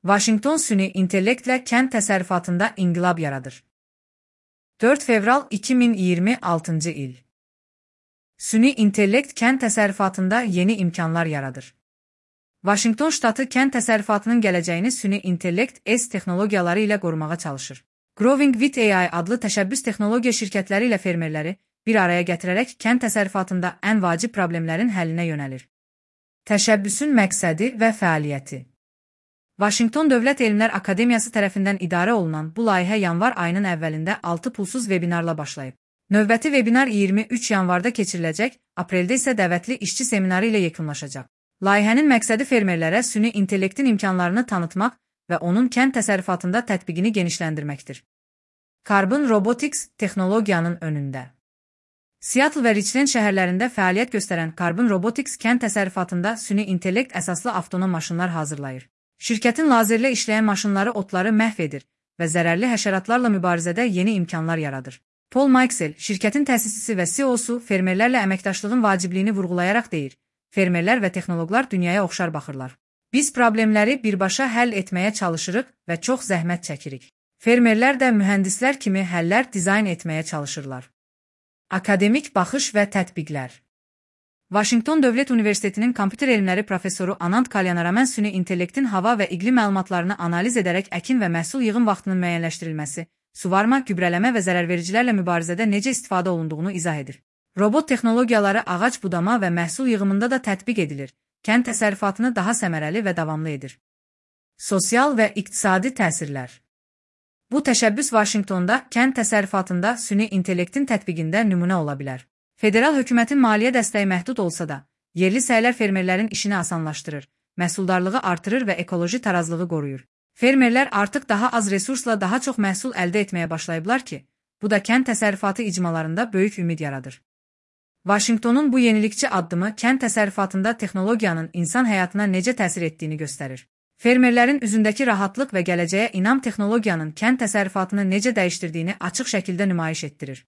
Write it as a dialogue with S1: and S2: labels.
S1: Vaşinqton süni intellektlə kənd təsərrüfatında inqilab yaradır. 4 fevral 2026 il. Süni intellekt kənd təsərrüfatında yeni imkanlar yaradır. Vaşinqton ştatı kənd təsərrüfatının gələcəyini süni intellekt texnologiyaları ilə qorumağa çalışır. Growing with AI adlı təşəbbüs texnologiya şirkətləri ilə fermerləri bir araya gətirərək kənd təsərrüfatında ən vacib problemlərin həllinə yönəlir. Təşəbbüsün məqsədi və fəaliyyəti. Vaşinqton Dövlət Elmlər Akademiyası tərəfindən idarə olunan bu layihə yanvar ayının əvvəlində 6 pulsuz vebinarla başlayıb. Növbəti vebinar 23 yanvarda keçiriləcək, apreldə isə dəvətli işçi seminarı ilə yekunlaşacaq. Layihənin məqsədi fermerlərə süni intellektin imkanlarını tanıtmaq və onun kənd təsərrüfatında tətbiqini genişləndirməkdir. Carbon Robotics texnologiyanın önündə. Seattle və Richland şəhərlərində fəaliyyət göstərən Carbon Robotics kənd təsərrüfatında süni intellekt əsaslı avtonom maşınlar hazırlayır. Şirkətin lazerlə işləyən maşınları otları məhv edir və zərərli həşəratlarla mübarizədə yeni imkanlar yaradır. Paul Mikesell, şirkətin təsisçisi və CEO-su fermerlərlə əməkdaşlığın vacibliyini vurğulayaraq deyir, fermerlər və texnoloqlar dünyaya oxşar baxırlar. Biz problemləri birbaşa həll etməyə çalışırıq və çox zəhmət çəkirik. Fermerlər də mühəndislər kimi həllər dizayn etməyə çalışırlar. Akademik baxış və tətbiqlər. Vaşinqton Dövlət Universitetinin kompüter elmləri professoru Anand Kalyanaraman süni intellektin hava və iqlim məlumatlarını analiz edərək əkin və məhsul yığım vaxtının müəyyənləşdirilməsi, suvarma, gübrələmə və zərərvericilərlə mübarizədə necə istifadə olunduğunu izah edir. Robot texnologiyaları ağac budama və məhsul yığımında da tətbiq edilir, kənd təsərrüfatını daha səmərəli və davamlı edir. Sosial və iqtisadi təsirlər. Bu təşəbbüs Vaşinqtonda kənd təsərrüfatında süni intellektin tətbiqində nümunə ola bilər. Federal hökumətin maliyyə dəstəyi məhdud olsa da, yerli səylər fermerlərin işini asanlaşdırır, məhsuldarlığı artırır və ekoloji tarazlığı qoruyur. Fermerlər artıq daha az resursla daha çox məhsul əldə etməyə başlayıblar ki, bu da kənd təsərrüfatı icmalarında böyük ümid yaradır. Vaşinqtonun bu yenilikçi addımı kənd təsərrüfatında texnologiyanın insan həyatına necə təsir etdiyini göstərir. Fermerlərin üzündəki rahatlıq və gələcəyə inam texnologiyanın kənd təsərrüfatını necə dəyişdirdiyini açıq şəkildə nümayiş etdirir.